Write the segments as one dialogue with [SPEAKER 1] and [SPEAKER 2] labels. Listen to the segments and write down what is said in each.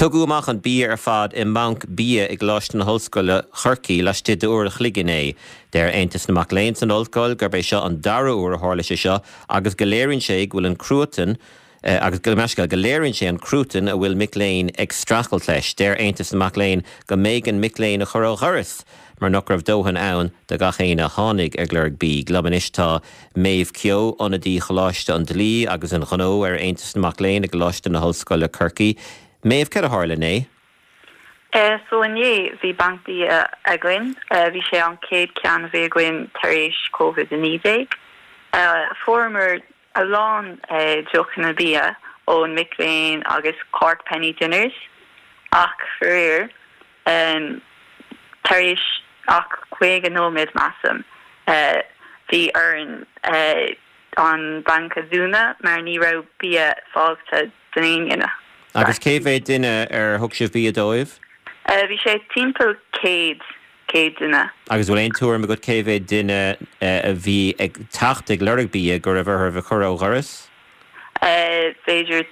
[SPEAKER 1] Tugadh amach an bia ar fad i mbanc bia i gColáiste na hOllscoile Chorcaí laistigh d'uair a chloig inné. Deir Aontas na Mac Léinn san ollscoil gurb é seo an dara huair a tharla sé seo agus go léiríonn sé go bhfuil an cruatan agus go meascail go léiríonn sé an cruatan a bhfuil mic léinn ag streachailt leis. Deir Aontas na Mac Léinn go mb'éigean mic léinn a chur ó dhoras mar nach raibh dóthain ann do gach éinne a tháinig ag lorg bídh. Liom anois tá Maeve Keogh, ionadaí Choláiste an Dlí agus an Ghnó ar Aontas na Mac Léinn i gColáiste na hOllscoile Corcaigh. Maeve, céard a tharla inné?
[SPEAKER 2] So inné bhí banc bia againn. Bhí sé an chéad ceann a bhí againn tar éis Covid-19. Fuaireamar a lán deochanna bia ón mic léinn agus Cork Penny Dinners ach faraor tar éis ach 50 nóiméad measaim bhí orainn an banc a dhúnadh mar ní raibh bia fágtha don aon duine.
[SPEAKER 1] Agus cé mhéad duine ar thug sibh bia dóibh?
[SPEAKER 2] Bhí sé timpeall 100 100 duine.
[SPEAKER 1] Agus bhfuil aon tuairim agat cé mhéad duine a bhí ag teacht ag lorg bia go raibh orthu a chur ó dhoras?
[SPEAKER 2] B'fhéidir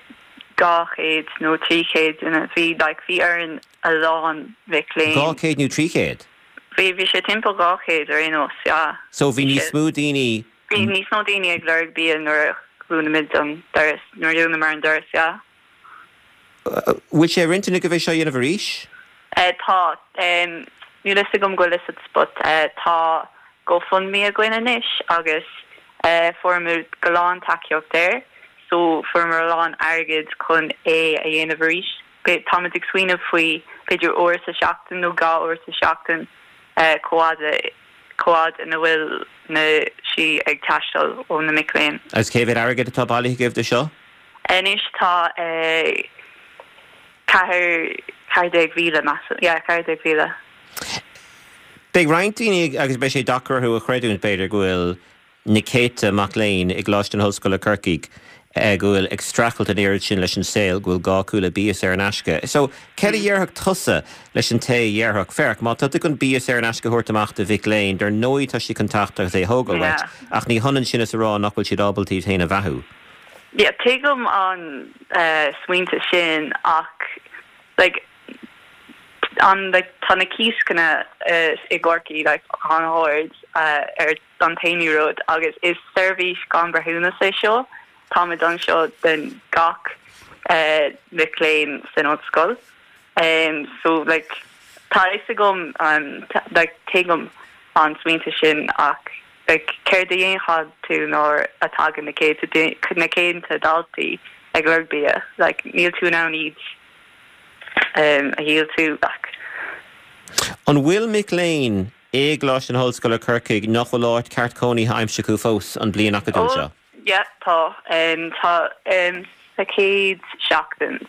[SPEAKER 2] 200 nó 300 duine. Bhí, like, bhí orainn a lán mhic léinn.
[SPEAKER 1] 200 nó 300?
[SPEAKER 2] Bhí, bhí sé timpeall 200 ar aon nós, yeah.
[SPEAKER 1] So bhí níos mó daoine.
[SPEAKER 2] Bhí níos mó daoine ag lorg bia nuair a dhúnaimid an doras, nuair a dhúnamar an doras, yeah.
[SPEAKER 1] Bhfuil sé ar intinn agaibh é seo a dhéanamh arís?
[SPEAKER 2] Tá. Níl fhios agam go bhfuil fhios agat but tá GoFundMe againn anois agus fuaireamar go lán tacaíocht air so fuaireamar a lán airgead chun é a dhéanamh arís. Táimid ag smaoineamh faoi b'fhéidir uair sa seachtain nó 2 uair sa seachtain chomh fhada chomh fhad ina bhfuil na sí ag teastáil ó na mic léinn.
[SPEAKER 1] Agus cé mhéad airgead atá bailithe agaibh do seo?
[SPEAKER 2] Anois tá 14,000, measaim. Yeah, 14,000.
[SPEAKER 1] Beidh roinnt daoine, agus beidh sé deacair orthu a chreidiúint, b'fhéidir, go bhfuil na céadta mac léinn i gColáiste na hOllscoile Corcaigh go bhfuil ag streachailt an oiread sin leis an saol, go bhfuil gá acu le bia saor in aisce. So, céard a dhéarfadh tusa leis an té a dhéarfadh, féach, má tá tú chun bia saor in aisce a thabhairt amach do mhic léinn, dar ndóigh tá siad chun teacht agus é a thógáil uait, ach ní hionann sin is a rá nach bhfuil siad ábalta iad féin a bheathú.
[SPEAKER 2] Yeah, tuigim an smaointe sin ach like an like tá na cíosanna i gCorcaigh like an-ard ar an t-aon rud agus is seirbhís gan breithiúnas é seo, táimid anseo don gach mic léinn san ollscoil. So like tá a fhios agam like tuigim an smaointe sin ach Like, céard a dhéanfadh tú nuair a tagann na céadta, na céadta daltaí ag lorg bia? Like, níl tú in ann iad a dhíoltú, like.
[SPEAKER 1] An bhfuil mic léinn i gColáiste na hOllscoile Corcaigh nach bhfuil áit ceart cónaithe aimsithe acu fós an bliain acadúil seo?
[SPEAKER 2] Oh, yeah, tá. Tá, sa chéad seachtain,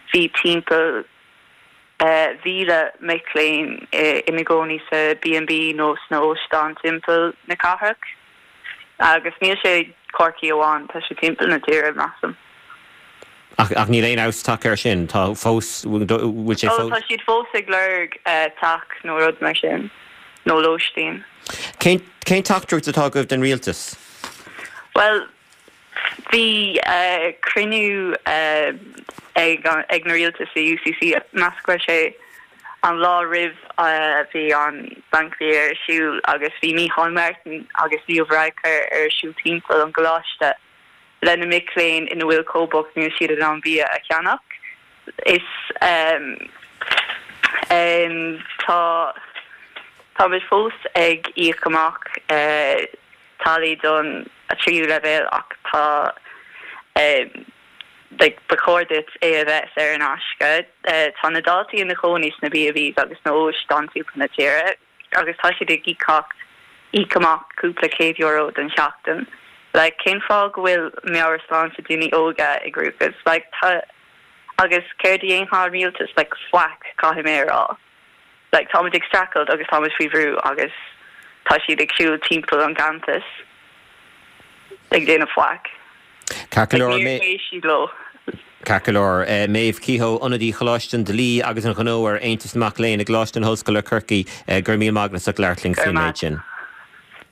[SPEAKER 2] bhí timpeall 1,000 mic léinn ina gcónaí sa B&B nó sna hóstáin timpeall na cathrach. Agus níl sé Corcaigh amháin, tá sé timpeall na tíre, measaim.
[SPEAKER 1] Ach ach níl aon fheabhas tagtha air sin, tá fós, bhfuil sé
[SPEAKER 2] fós. Ó, tá siad fós ag lorg teach nó rud mar sin, nó lóistín.
[SPEAKER 1] Cén cén teachtaireacht atá agaibh don rialtas?
[SPEAKER 2] Bhuel, Bhí cruinniú ag na rialtas i UCC, meas go raibh sé an lá roimh bhí an Banc Bia ar siúl agus bhí Micheál Martin agus Leo Varadkar ar siúl timpeall an gcoláiste le na mic léinn ina bhfuil chomh bocht níl siad in ann bia a cheannach. Is tá táimid fós ag íoc amach táillí don tríú leibhéal ach tá like ba chóir duit é a bheith saor in aisce. Tá na daltaí ina chónaí sna B&Bs agus sna hóstáin timpeall na tíre agus tá siad ag íocacht íoc amach cúpla €100 don sheachtain. Like cén fáth go bhfuil meabhairshláinte daoine óga i gcruachás? Like tá agus céard a dhéanfaidh an rialtas? Like faic caithfidh mé a rá. Like, táimid ag streachailt agus táimid faoi bhrú agus tá siad ag siúl timpeall an gcampas ag déanamh faic.
[SPEAKER 1] Ceart go leor,
[SPEAKER 2] Like, níor éist siad leo.
[SPEAKER 1] Ceart go leor. Maeve Kehoe, ionadaí Choláiste an Dlí agus an Ghnó ar Aontas na Mac Léinn i gColáiste na hOllscoile Corcaigh, go raibh míle maith agat as ucht labhairt linn
[SPEAKER 2] Go raibh
[SPEAKER 1] faoin
[SPEAKER 2] maith.
[SPEAKER 1] méid sin.